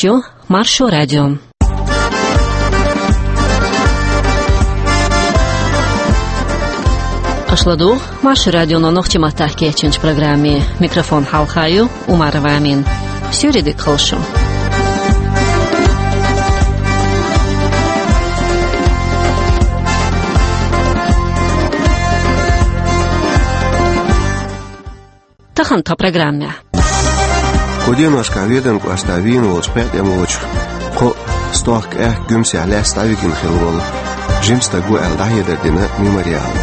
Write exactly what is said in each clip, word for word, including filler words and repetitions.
ю Маршо радио. Аша ладугӀу Маршо радионо нохчийн маттахь кечйинчу программе. Микрофон хьалха ю Умарова Амина. Суьйре дика хуьлда шун. Тахана тхан программехь. Кху деношкахь Веданан кӀоштахь вийна волчу пхеа тӀемалочух кхоъ стохка аьхка Гуьмсехь лаьцна дӀавигина хилла волу жима стаг ву аьлла дӀахьедар дина Мемориало.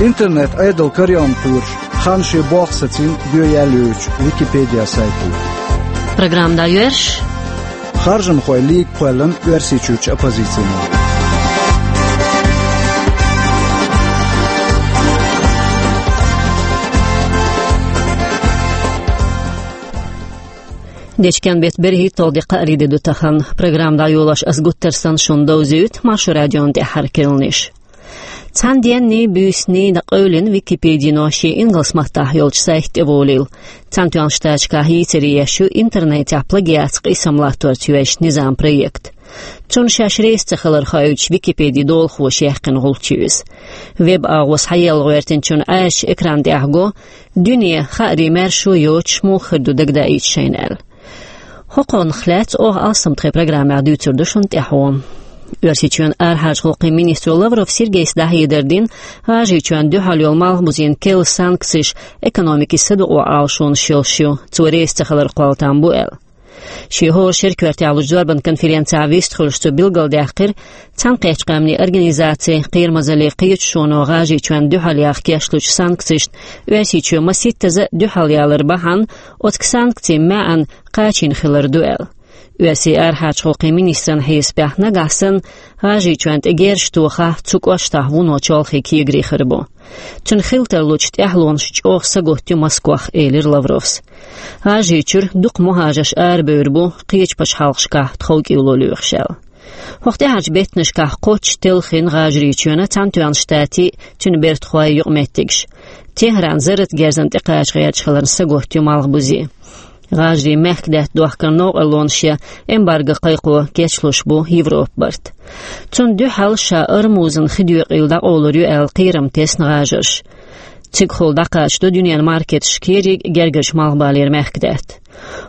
Интернет Ӏедал карайоьнна кхоьруш, хан шен болх сацийна доьяьлла йоьдучу Википедия сайто. Программа дӀайоьрзуш. Харжамхойн лига кхоьллина Оьрсийчуьрчу оппозицино. Дечкен беттан берхӀитталгӀа де, кхаарин де ду тахана. Программа дӀайолош ас гуттар а санна шуна довзуьйту Маршо радион тӀаьххьара керланаш. Цхьана денний, буьйсанний дӀакъевлина Википедино шен ингалс маттахь йолчу сайта тӀе волийла. Цхьаьнатоьхначу Штаташкахь йийцаре еш ю интернетехь плагиатца къийсам латторца йоьзначу низаман проект. Цунна шаьш реза ца хилар хоуьйтуш Википедин долахоша яьккхина гӀулч ю иза. Веб-агӀо схьаелла гӀоьртинчунна Ӏаьржачу экран тӀехь го, дуьне, хаарий, маьршо йоцуш муха хир ду дагадаийта шайна аьлла. ХӀокхунах лаьцна оха алссам тхайн программехь дуьйцур ду шуна тӀаьхьо. Оьрсийчоьнан арахьарчу гӀуллакхийн министро Лавров Сергейс дӀахьедар дина ГӀажарийчоьнна дуьхьал йолу малхбузийн керла санкцеш экономикин садукъо Ӏалашонаш йолуш ю, цо реза ца хилар кхолла там бу аьлла. Шен хӀора шеран коьртехь лучу зорбан конференцехь вистхуьлуш цо билгалдаьккхира, Цхьаьнакхеттачу Къаьмнийн Организацин кхерамазаллин кхеташоно ГӀажарийчоьнна дуьхьал яха кечлучу санкцешна Оьрсийчоь масийттаза а дуьхьал ялар бахьана, оцу санкцийн маьӀна кхачийна хилар ду аьлла. Оьрсийн арахьарчу гӀуллакхийн министран хьесапехь, нагахь санна ГӀажарийчоьнна тӀе герз тохахь, цу кӀоштахь вуно чолхе кегари хир бу. Цуьнан хила тарлучу тӀаьхьалонаш чӀогӀа сагатдо Москвах, элира Лавровс. ГӀажарийчуьра дукха мухӀажарш арабевр бу, кхечу пачхьалкхашкахь тховкӀело лоьхуш аьлла. ХӀокху тӀаьхьарчу беттанашкахь кхоччуш телхина ГӀажарийчоьнан, Цхьаьнатоьхначу Штатийн, цуьнан бертахойн юкъаметтигаш. Техран зарратан герзана тӀекхача гӀерташ хиларна сагатдо малхбузе. ГӀажарийн мехкадаьтта дохкаран новкъарлонаш я эмбарго кхайкхо кечлуш бу Европа-барт. Цунна дуьхьал ша Ормузан хи доькъийла дӀакъовлур ю аьлла кхерам тесна ГӀажарша. Цигахула дӀакхачадо дуьненан маркеташка ерриг гергарчу малхбалера мехкадаьтта.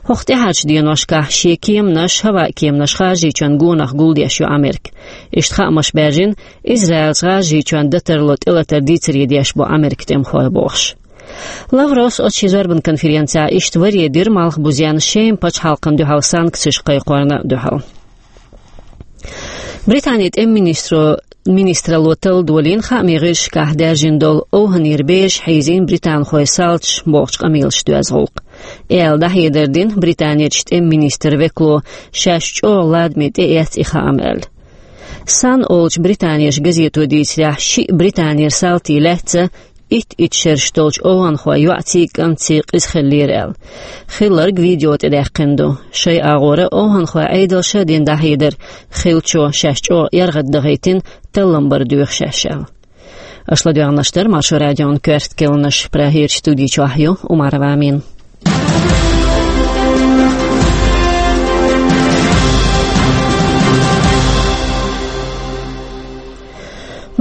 ХӀокху тӀаьхьарчу деношкахь шен кеманаш, хӀаваан кеманаш ГӀажарийчоьнан гонах гулдеш ю Америка. Иштта хаамаш баьржина, Израилца ГӀажарийчоьнна дан тарло тӀелатар дийцаре деш бу Америкин тӀемахой бохуш. Лавровс оцу шен зорбан конференцехь иштта варе дира малхбузенна Шема пачхьалкхана дуьхьал санкцеш кхайкхорна дуьхьал. Британин тӀеман министро, министралло талла долийна хаамийн гӀирсашкахь даьржина долу овхӀанера бераш хьийзийна британхойн салташа бохучу къамелаша доьзна гӀуллакх. И аьлла дӀахьедар дина Британерчу тӀеман министран векало, шаьш чӀогӀа ладаме тӀеэцна и хаам аьлла. Сан олучу британерчу газето дийцарехь, шиъ Британера салтий лаьцна итт-итт шераш долчу овхӀанхойн йоӀций, кӀантций къиза хиллера аьлла. Хилларг видео тӀедаьккхина ду. Шайн агӀора овхӀанхойн Ӏедалша а дина дӀахьедар, хиллачо шаьш чӀогӀа эргӀаддахийтина, таллам бар доьху шаьш аьлла. Аша ладоьгӀнарш дара Маршо радион коьрта керланаш. Прагерчу студи чохь ю Умарова Амина.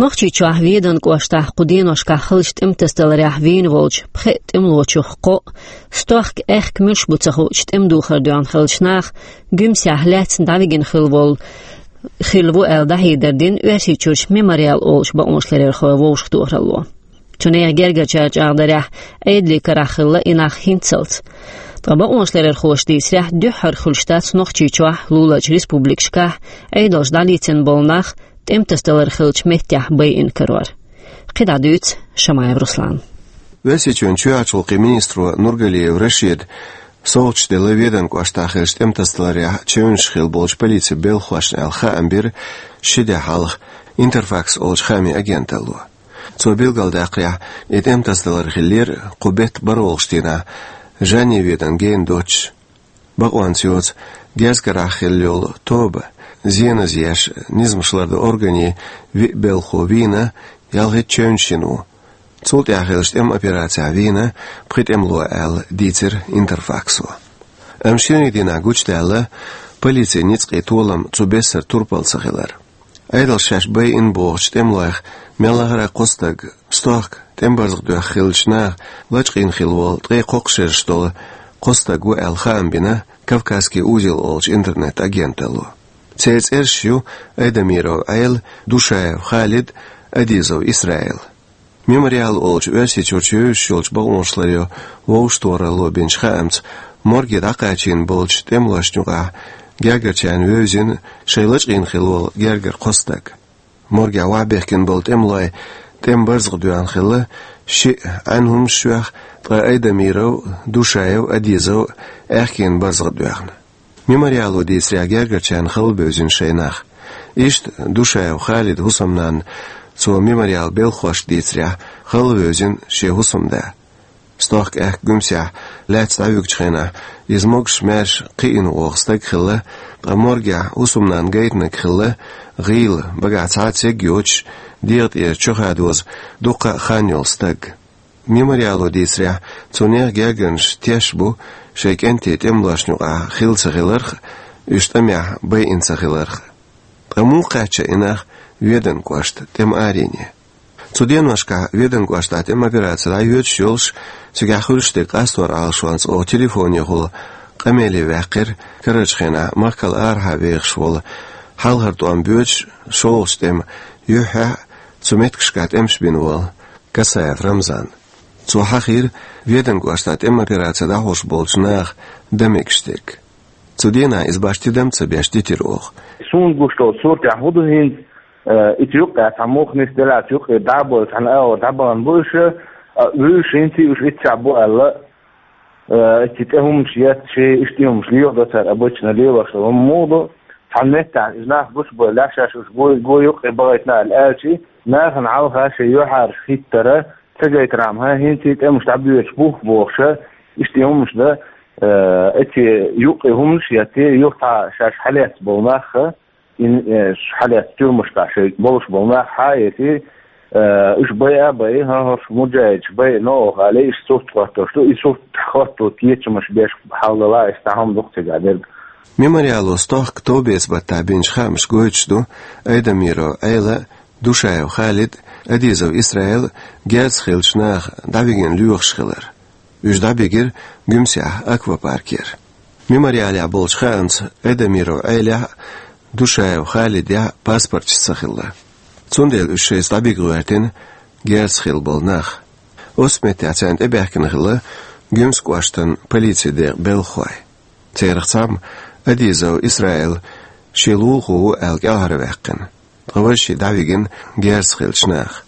Нохчийчохь Веданан кӀоштахь кху деношкахь хиллачу тӀематасадаларехь вийна волчу пхеа тӀемалочух кхоъ, стохка аьхка муьлш бу ца хуучу тӀеман духар доьгӀна хиллачу наха Гуьмсехь лаьцна дӀавигина хилла волу, хилла ву аьлла дӀахьедар дина Оьрсийчуьрчу Мемориал олучу бакъонашларъярхойн вовшахтохаралло. Цу нехан гергарчара чӀагӀдарехь, Ӏедалийн карахь хилла и нах хӀинццалц. Ткъа бакъонашларъярхоша дийцарехь, дуьххьара хуьлуш дац Нохчийчохь, луларчу республикашкахь Ӏедалша дӀалецна болу нах тӀематасадалар хиллачу меттехь байина карор. КхидӀа дуьйцу Шамаев Руслана. Оьрсийчоьнан чоьхьарчу гӀуллакхийн министро Нургалиев Рашида совгӀаташ делла Веданан кӀоштахь хиллачу тӀематасадаларехь чевнаш хилла болчу полицин белхахошна аьлла хаам бира ши де хьалха Интерфакс олучу хаамийн агенталло. Цо билгалдаьккхарехь, и тӀематасадалар хиллера кху беттан бархӀалгӀачу дийнахь, Жанни Веданан гена доццуш. Бакъонца йоцу герз карахь хилла йолу тоба, зеназа еш, низамаш лардан органийн виъ белхахо вийна, ялхитта чевнаш йина ву. Цул тӀаьхьа хиллачу тӀеман операцехь вийна пхи тӀемало аьлла дийцира Интерфаксо. Амма шерийн дийнахь гучудаьлла полицин ницкъийн толам цу бессара турпал ца хилар. Ӏедалша шаьш байина бохучу тӀемалойх мел лахара кхо стаг, стохка тӀеман барзакъ доьхна хиллачу наха лачкъийна хилла волу ткъе кхоккхуш шераш долу кхо стаг ву аьлла хаам бина «Кавказский узел» олучу интернет-агенталло. Церан цӀераш ю Айдамиров Ӏела, Душаев Халид, Адизов Исраил. «Мемориал» олучу Оьрсийчуьрчу вевзаш йолчу бакъонашларъяран вовшахтохаралло бинчу хаамца, морге дӀакхачийна болчу тӀемалошна юкъахь гергарчарна вевзина шайн лачкъийна хилла волу гергара кхо стаг. Моргехь охьабехкина болу тӀемалой тӀеман барзакъ доьхна хилла шиъ Ӏаьнан хӀуманаш йоьхна, ткъа Айдамиров, Душаев, Адизов аьхкенан барзакъ доьхна. «Мемориало» дийцарехь, гергарчарна хала бевзина шайн нах. Иштта Душаев Халидан хӀусамнанна, цо «Мемориалан» белхахошка дийцарехь, хала вевзина шен хӀусамда. Стохка аьхка Гуьмсехь лаьцна дӀавуьгучу хенахь, иза могуш-маьрша кхиъна вогӀу стаг хилла, ткъа моргехь хӀусамнанна гайтинарг хилла гӀийла, багахь цхьа а церг йоцуш, дегӀа тӀера чохадоза дуккха а хан йолу стаг. «Мемориало» дийцарехь, цу нехан гергарнаш теш бу шайн кӀентий тӀемалошна юкъахь хилла ца хиларх а, уьш тӀамехь байина ца хиларх а. Ткъа муха кхаьчна и нах Веданан кӀоштан тӀеман арене? Цу деношкахь Веданан кӀоштахь тӀеман операци дӀайоьдуш йолуш, цигахь хуьлуш дерг къастор Ӏалашонца оха телефонехула къамеле ваьккхира карарчу хенахь махкал арахьа вехаш волу, хьалхара тӀом боьдуш шолгӀачу тӀеман юьххьехь а цу меттигашкахь тӀемаш бина волу Касаев Рамзан. Цо хьахийра Веданан кӀоштахь тӀеман операци дӀахьош болчу наха дан мегаш дерг. Цу дийнахь иза башха тидам а ца беш дитира оха. Суна гуш долчу суртехь хӀун ду хӀинца, э, ицу юккъехь цхьа мух нисделлачу юккъе дӀа а бой, цхьана агӀор дӀабахана бу уьш, а, вуьйш хӀинца уьш иццехь бу аьлла, э, иццахь тӀе хӀуманаш етташ, иштта хӀуманаш леладо цара, обычно лелош долу хӀума муха ду, цхьана меттехь иза нах гучубевлла, шаьш уьш гой, гой юккъе бахийтина аьлла аьлча, нахана хьалха шайн юьхьӀаьржа хӀиттара, ца гайтархьама, хӀинца тӀемаш дӀабоьдуш бу бохуша, иштта хӀуманаш дан, э, эццахь юккъе хӀуманаш а етта, юха цхьа шаьш хьалаьцна болу нах а, ин, э, хьалаьцна тюрьмашкахь шайн болуш болу нах хьа а етта, э, уьш байа а байи, хӀан, хӀорш муджахӀидаш байина оха аьлла, иштта сурт хӀоттош ду, и сурт хӀотто кечамаш беш хьал дала, иштта хӀума ду-кх цигахь дерг. «Мемориало» стохка товбеца баттахь бинчу хаамаша гойтуш ду Айдамиров Ӏела, Душаев Халид, Адизов Исраил герзаца хиллачу наха дӀавигина лоьхуш хилар. Уьш дӀабигира Гуьмсехь аквапаркера. «Мемориалехь» болчу хаамца, Айдамиров Ӏелехь а, Душаев Халидехь а паспорташ ца хилла. Цундела уьш шайца дӀабига гӀоьртина герзаца хилла болу нах. Оццу меттехь царна тӀебаьхкина хилла Гуьмсан кӀоштан полицин декъан белхахой. Царах цхьамма, Адизов Исраил, шен лулахо ву аьлла кӀелхьарваьккхина, ткъа важа шиъ дӀавигина герзаца хиллачу наха.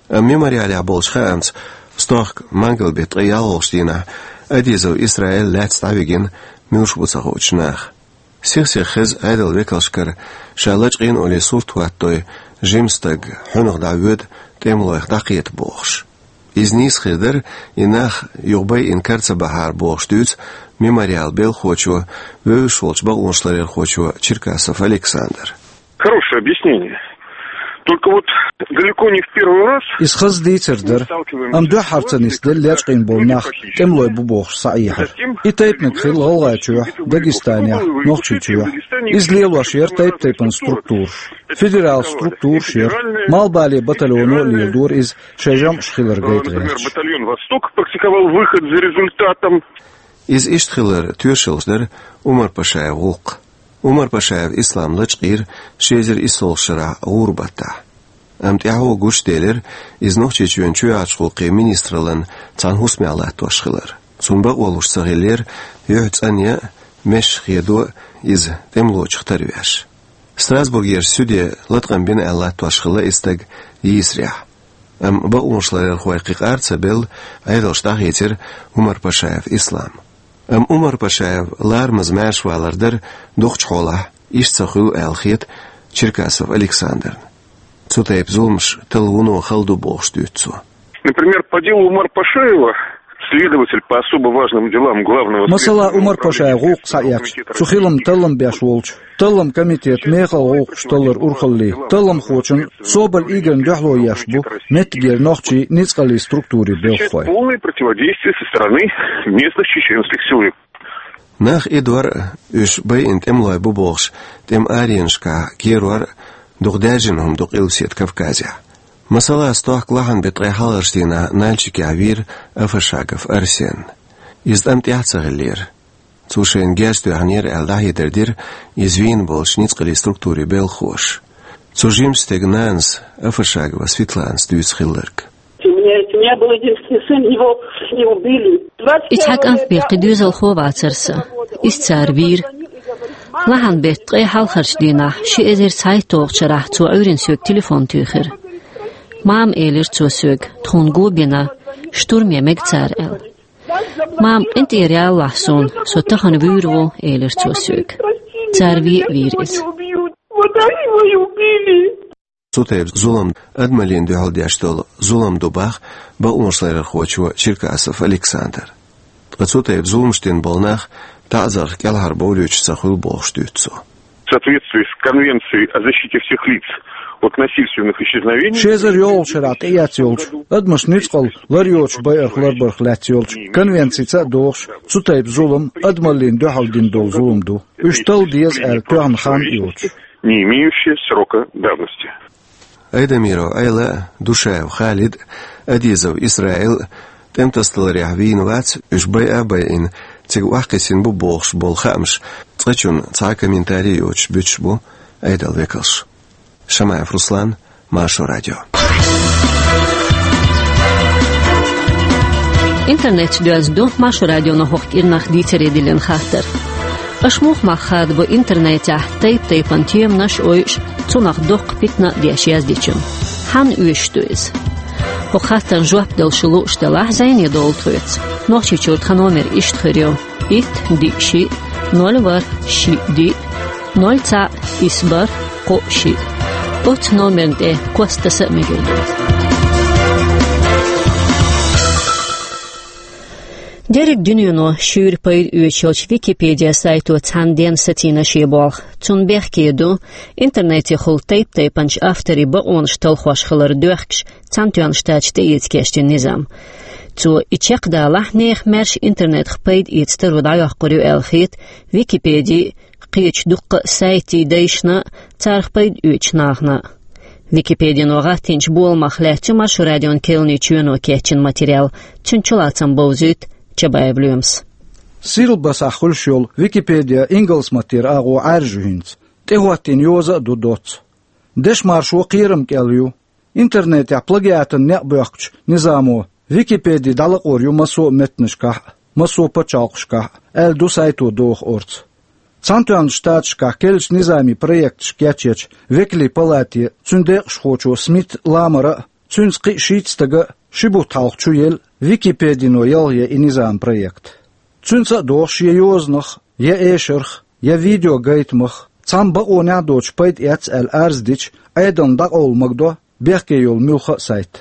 Амма «Мемориалехь» болчу хаамца, стохка мангал-беттан ткъе ялхалгӀачу дийнахь Адизов Исраил лаьцна дӀавигина муьлш бу ца хуучу наха. Сих-сиха хеза Ӏедалан векалшкара, ша лачкъийна олий сурт хӀоттадой жима стаг хьуьнах дӀавоьду, тӀемалойх дӀакхета бохуш. Иза нийса хир дара, и нах юха байина кара ца бахьара бохуш дуьйцу «Мемориалан» белхахочо, вевзаш волчу бакъонашларъярхочо Черкасов Александра. Хорошее объяснение. Только вот далеко не в первый раз. Иза хаза дийцар дара. Амма дуьххьара ца нисделла лечкъийна болу нах тӀемалой бу бохуш схьаэхьира. И тайпаниг хилла ГӀалгӀайчохь, Дагестанехь, Нохчийчохь. Иза лелош яра тайп-тайпана структураш. Федерал структураш яра. Малхбален батальоно а леладора иза, шайн жамӀаш хилар гайта гӀерташ. Батальон «Восток» практиковал выход за результатом. Иза иштта хилар тоьшаллаш дара Умар-Пашаев гӀуллакх. Умар-Пашаев Ислам лачкъийра ши эзар иссалгӀачу шарахь гӀуран баттахь. Амма тӀаьхьо гучуделира иза Нохчийчоьнан чоьхьарчу гӀуллакхийн министраллан цхьана хӀусамехь латтош хилар. Цунна бакъо луш ца хиллера юьхь цӀанъян а, месаш хедо а иза тӀемалочух тарвеш. Страсбургерчу суьде латкъам бина аьлла латтош хилла и стаг йийсарехь. Амма бакъонашларъярхой кхин къар ца белла, Ӏедалша дӀахийцира Умар-Пашаев Ислам. Амма Умар-Пашаев ларамаза маьршавалар дара дукхачу хьолахь, иштта ца хуьлу аьлла хета Черкасов Александрна. Цу тайпа зуламаш талла вуно хала ду бохуш дуьйцу цо. Например, по делу Умар-Пашаева, следователь по особо важным делам Главного следственного управления. Масала, Умар-Пашаев гӀуллакх схьаэцча, цу хилам таллам беш волчу таллам комитетан мехала гӀуллакхаш талларан урхаллин талламхочун Соболь Игорьна дуьхьало еш бу меттигера нохчийн ницкъаллин структурийн белхахой. Полное противодействие со стороны местных чеченских силовиков. Нах идор а, уьш байина тӀемалой бу бохуш, тӀеман аренашкахь керор а дукха даьржина хӀума ду Къилбаседа Кавказехь. Масала, стохка лахьан беттан ткъе хьалхарчу дийнахь Нальчикехь вийра Афашагов Арсен. Иза тӀам тӀехь а ца хиллера. Цо шайна герз тоьхнера аьлла, дӀахьедар дира иза вийна болчу ницкъаллин структурийн белхахоша. Цу жимачу стеган нанас, Афашагова Светланас, дуьйцу хилларг. У меня, у меня был единственный сын, его не убили. И цхьа кӀант бен кхин доьзалхо вацара сан. Иза цара вийра. Лахьан беттан ткъе хьалхарчу дийнахь, ши эзар цхьайтталгӀачу шарахь, цо Ӏуьйранна соьга телефон туьйхира. «Мама», — элира цо соьга, — «тхуна го бина, штурме мега цара», — аьлла. «Мама, къинтӀера ялалахь суна, со тахана вуьйр ву», — элира цо соьга. Цара вен а вийра иза. Цу тайпа зулам адамаллина дуьхьал деш долу зулам ду боху бакъонашларъярхочо Черкасов Александра. Ткъа цу тайпа зуламаш дина болу нах таӀзарх кӀелхьарбовлуьйтуш ца хуьлу бохуш дуьйцу цо. В соответствии с Конвенцией о защите всех лиц от насильственных исчезновений. Ши эзар йолхучу шарахь тӀеэцна йолчу адамашна ницкъалла лар йоцуш байарх ларбарх лаьцна йолчу конвенцица а догӀуш, цу тайпа зулам адамаллина дуьхьал дина долу зулам ду. Уьш талла деза аьлла тоьхна хан а йоцуш. Не имеющие срока давности. Айдамиров Ӏела а, Душаев Халид а, Адизов Исраил а тӀемтасадаларехь вийна вац, уьш байа а байина, цига охьакхиссина бу бохуш болу хаамаш цкъачунна цхьа а комментарий йоцуш буьтуш бу Ӏедалан векалш. Шамаев Руслан, Маршо радио. Интернет чу доьзна ду Маршо радионо хӀокху кӀирнах дийцаре диллина хаттар. Аша муха мах хадабо интернетехь тайп-тайпана теманаш а ойуш, цунах доккха питана а деш яздечунна? Хьанна оьшуш ду иза? ХӀокху хаттарна жоп дала шу лууш делахь, зӀене довла тхоьца. Нохчийчуьра тхан номер иштта хир ю: итт, диъ, шиъ, ноль, ворхӀ, шиъ, диъ, ноль, цхьаъ, исс, бархӀ, кхоъ, шиъ. Оццу номерна тӀе кост таса а мегар ду. Дерриг дуьнено шуьйра пайда оьцуш йолчу Википедия сайто цхьана денна сацийна шен болх. Цунна бехке ду интернетехула тайп-тайпанчу авторийн бакъонаш талхош хилар доьхкуш, Цхьаьнатоьхначу Штаташа тӀеэца кечдина низам. Цо и чекхдалахь, нехан маьрша интернетах пайда эца таро дӀайоккхур ю аьлла хета Википедин а, кхечу дуккха а сайтийн дайшна а, царах пайда оьцучу нахана а. Википедино гӀаттийначу боламах лаьцна ю Маршо радион керланийн чоьно кечйина материал. Цуьнан чулацам бовзуьйту Чабаев Лоьмас. Сирлбасахь хуьлуш йолу Википедия ингалс маттера агӀо Ӏаьржа ю хӀинца. ТӀехӀоттийна йоза а ду доцца. Дешан маршо кхерам кӀел ю. Интернетехь плагиатан некъ боьхкучу низамо Википеди дӀалакъор ю массо а меттанашкахь а, массо а пачхьалкхашкахь а, аьлла ду сайто доху орца. Цхьаьнатоьхначу Штаташкахь керлачу низамийн проекташ кечъечу Векалийн палате, цуьнан декъашхочо Смит Ламара а, цуьнца кхин а шийтта стага а ши бутт хьалха чу елла Википедино ялхаян и низаман проект. Цуьнца а догӀуш, я йозанах, я эшарх, я видеогайтамах цхьамма бакъонехь а доцуш пайда эцна аьлла арз дича, Ӏедална дӀакъовла магадо бехке йолу муьлхха а сайт.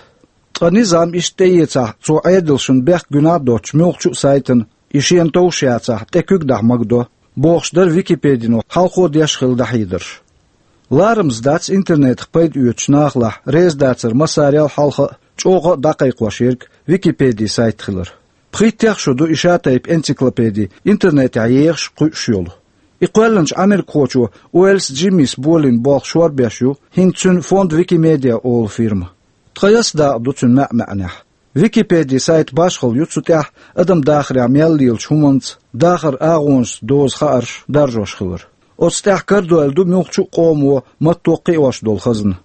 Ткъа низам иштта тӀеэцахь, цо Ӏедалшна бехк гуьнахь а доцучу муьлххачу а сайтана, и шена товш яцахь, тӀе куьг дахь магадо, бохуш дара Википедино хьалхо деш хилла дӀахьедарш. Ларамаза дац интернетах пайда оьцучу нахалахь реза дацар массарел а хьалха а, чӀогӀа а дӀакхайкхош ерг Википедин сайт хилар. Пхийттех шо ду и шатайпа энциклопеди интернетехь ехаш, кхуьуш йолу. И кхоьллинчу америкахочо Уэллс Джиммис болийна болх шорбеш ю хӀинца цуьнан Фонд Викимедиа олу фирма. Тхан яс дакъа ду цуьнан маьӀ-маьӀнехь. Википедин сайт башхалла ю цу тӀехь адам дахарехь мел лелачу хӀуманца, дахаран агӀонашца дозу хаарш даржош хилар. Оцу тӀехь карадойла ду муьлххачу а къомо матто кхиош долу хазна.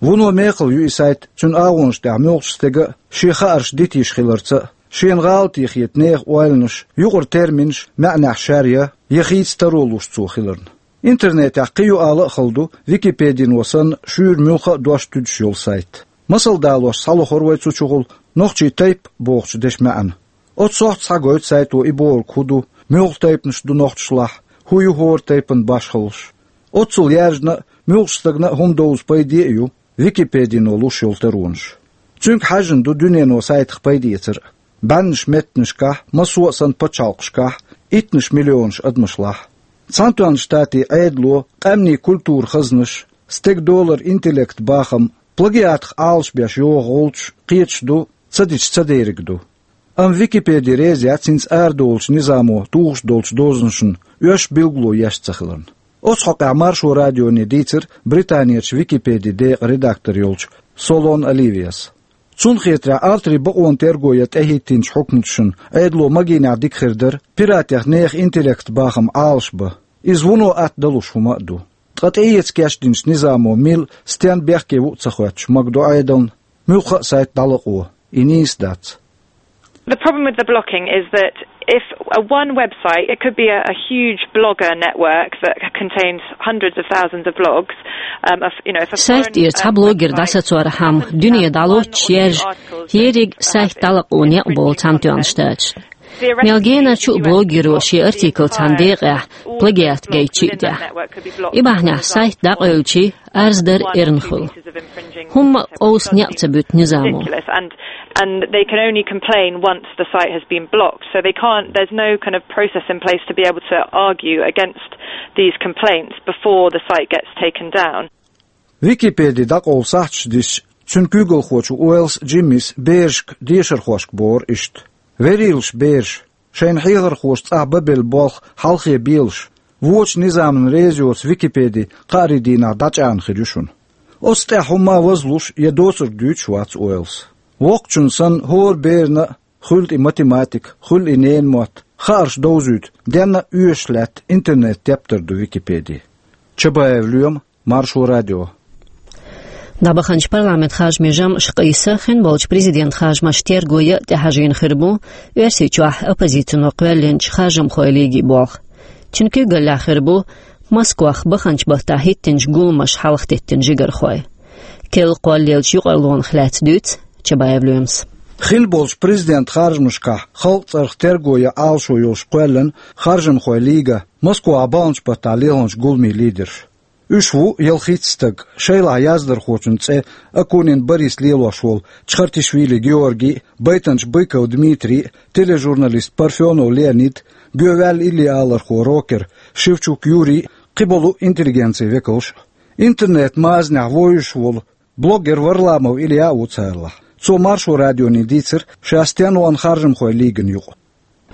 Вуно мехала ю и сайт, цуьнан агӀонаш тӀехь муьлххачу стеган а шен хаарш дитийша хиларца а, шена гӀалатехь хета нехан ойланаш, юкъара терминаш маьӀнехь шаьръян я хийца таро луш цо хиларна. Интернетехь кхин юкъала а хала ду Википедино санна шуьйра муьлхха а дош туьдуш йолу сайт. Масал далош схьалохура вай цу чухула нохчийн тайп бохучу дешан маьӀна. Оццу сохьта схьагойту сайто и бохург хӀун ду, муьлха тайпанаш ду нохчашлахь, хӀун ю хӀора тайпан башхаллаш. Оццул яьржина а, муьлххачу стагана а хӀума довза пайде а ю Википедино луш йолу таронаш. Цуьнга хьаьжжина ду дуьнено сайтах пайдаэцар а. БӀеннаш меттанашкахь, массо а санна пачхьалкхашкахь, иттанаш миллионаш адамашлахь. Цхьаьнатоьхначу Штатийн Ӏедало, къаьмнийн культуран хазнаш, стеган доларан интеллектан бахам, плагиатах Ӏалашбеш йогӀу гӀулчаш кхеташ ду, ца дича ца дериг ду. Амма Википеди реза яц хӀинца арадовлучу низамо тухуш долчу дозанашна оьшуш билгало еш ца хиларна. Оцу хьокъехь Маршо радионе дийцира Британерчу Википеди декъан редактор йолчу Солон Оливияс. Цунна хетарехь, авторийн бакъонан терго ян тӀехӀиттинчу хьукматашна Ӏедало магийнехь дика хир дара, пиратех нехан интеллектан бахам Ӏалашбан. Иза вуно атта далуш хӀума а ду. Ткъа тӀеэца кечдинчу низамо мила, стенна бехке ву а ца хоьттуш, магадо Ӏедална, муьлхха а сайт дӀалакъо, и нийса дац. The problem with the blocking is that if a one website, it could be a, a huge blogger network that contains hundreds of thousands of blogs, um, of, you know, if a Сайт тӀера цхьа блогер дӀасацорхьама, дуьне дӀалоцуш яржа, ерриг сайт дӀалакъо некъ болу Цхьаьнатоьхна Штаташ. Мел генарчу а блогеро шен артикл цхьана декъехь плагиат гайтича а тӀехь. И бахьанехь сайт дӀакъевлича, арз дар эрна хуьлу. ХӀумма а къовса некъ ца буьту низамо. And, and they can only complain once the site has been blocked. So they can't, there's no kind of process in place to be able to argue against these complaints before the site gets taken down. Википеди дӀакъовла сахьташ диссича, цуьнан куьйгалхочо Уэллс Джиммис берашка, дешархошка бохура иштта: «Верийлаш бераш, шайна хьехархоша цӀахь бан белла болх хьалхе белаш, вочу низамна реза йоцу Википеди кхаарин дийнахь дӀачӀагӀна хир ю шуна». Оцу тӀехь хӀумма а вазлуш я доцург дуьйцуш вац Уэллс. Воккхачунна санна, хӀора берана а, хуьлда и математика, хуьлда и ненан мотт, хаарш довзуьйту, денна а оьшуш лаьтта интернет-тептар ду Википеди. Чабаев Лоьма, Маршо радио. ДӀабаханчу парламент харжамийн жамӀаш къийса, хин болчу президент харжамаш терго ян а тӀехьажийна хир бу Оьрсийчохь оппозицино кхоьллинчу харжамхойн лигин болх. Цуьнан куьйгаллехь хир бу Москвахь баханчу баттахь хӀиттинчу гуламаша хьалхатеттина жигархой. Керла кхоллаеллачу юкъарлонах лаьцна дуьйцу Чабаев Лоьмас. Хин болчу президент харжамашкахь халкъан цӀарах терго ян Ӏалашо йолуш кхоьллина харжамхойн лига Москвахь баханчу баттахь лелханчу гуламийн лидерш. Уьш ву ялхитта стаг, шайлахь яздархочун цӀе Акунин Борис лелош волу Чхартишвили Георгий а, байтанча Быков Дмитрий а, тележурналист Парфенов Леонид а, гоьваьлла иллиалархо, рокер Шевчук Юрий а, кхин болу интеллигенцин векалш а. Интернет-мазанехь вовзуш волу блогер Варламов Илья а ву царалахь. Цо Маршо радионе дийцира, ша стенна вахана харжамхойн лигана юкъа.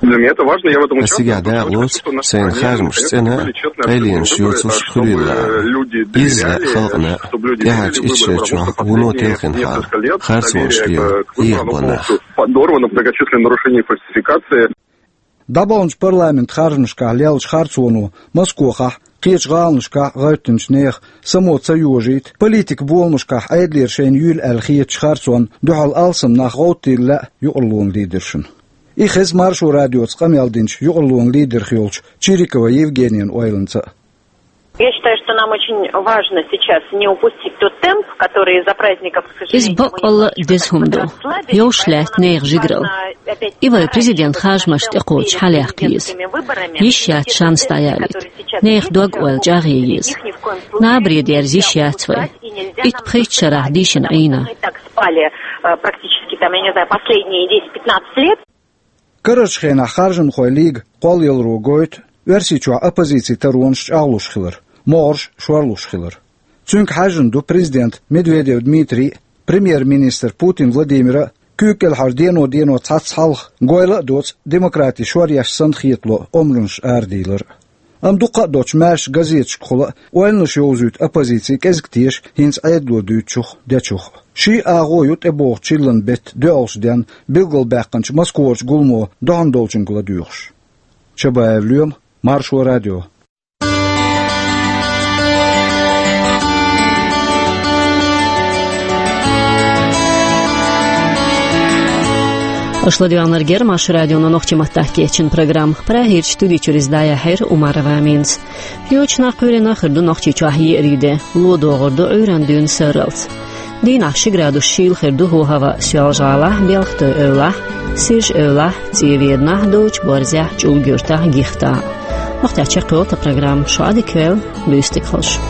Для меня это важно, я в этом участвую. Ас цигахь дакъалоцу, сайна харжамаш цӀена а, къайленаш йоцуш хуьлийла а. Изза халкъана а, тӀаьхьарчу итт шарчохь вуно телхина хьал, харцонаш лела, эхь бо нах. Подорвано, многочисленные нарушения и фальсификации. ДӀабаханчу парламент харжамашкахь леллачу харцоно Москохахь, кхечу гӀаланашкахь гӀевттинчу нехан само ца йожийта, политикан боламашкахь Ӏедалера шайна юьйла аьлла хетачу харцонна дуьхьал алсам нах гӀовттийла лаьа юкъарлонан лидершна. И хеза Маршо радиоца къамел динчу юкъарлонан лидерх йолчу Чирикова Евгенина ойланца а. Я считаю, что нам очень важно сейчас не упустить тот темп, который из-за праздников, к сожалению, мы не можем, как бы, расслабить, поэтому нам нужно опять... Иза баккъалла деза хӀума ду, йовш лаьтта нехан жигаралла. И вай президент харжамашна тӀекхочуш хьалаяккха еза. Йиш яц шанс дӀаялийта. Нехан дог-ойла чӀагӀъе еза. Набаре дерза йиш яц вай. Итт-пхийтта шарахь дийшина Ӏийна. Спали, э, практически, там, я не знаю, последние десять-пятнадцать лет. Карарчу хенахь харжамхойн лига кхоллаяларо гойту Оьрсийчохь оппозицин таронаш чӀагӀлуш хилар, могӀарш шорлуш хилар. Цуьнга хьаьжжина ду президент Медведев Дмитрий а, премьер-министр Путин Владимир а, куьйга кӀелхьара дено-дено цхьацца хьалха, гойла а доцу демократи шоръеш санна хетало омранаш арадийлар а. Амма дуккха а доцчу маьрша газеташкахула а ойланаш йовзуьйту оппозици кӀезиг теша хӀинца Ӏедало дуьйцучух а, дечух а. Ший агӀо ю тӀебогӀучу чиллан беттан доьалгӀачу денна билгалбаьккхинчу Москварчу гуламо дохьуна долчуьнга ладоьгӀуш. Чабаев Лоьма, Маршо радио. Аша ладоьгӀнарг яра Маршо радионо нохчийн маттахь кечйина программа. Прагерчу студи чуьра иза дӀаяьхьира Умарова Аминас. Кхечу нах кхоьллина хир ду Нохчийчохь еарин де, ло догӀур ду Ӏуьйранна дуьйна сарралц. Дийнахь ши градус шийла хир ду хӀаваъ Соьлжа-ГӀалахь, Белхатуй-Эвлахь, Сирж-Эвлахь, ЦӀий-Веданахь, Долчу-Борзехь, ЧӀулга-Юьртахь, Гихтахь. Нохчийчохь кхолла программа, шу Ӏадика йойла, буьйса дика хуьлда шун.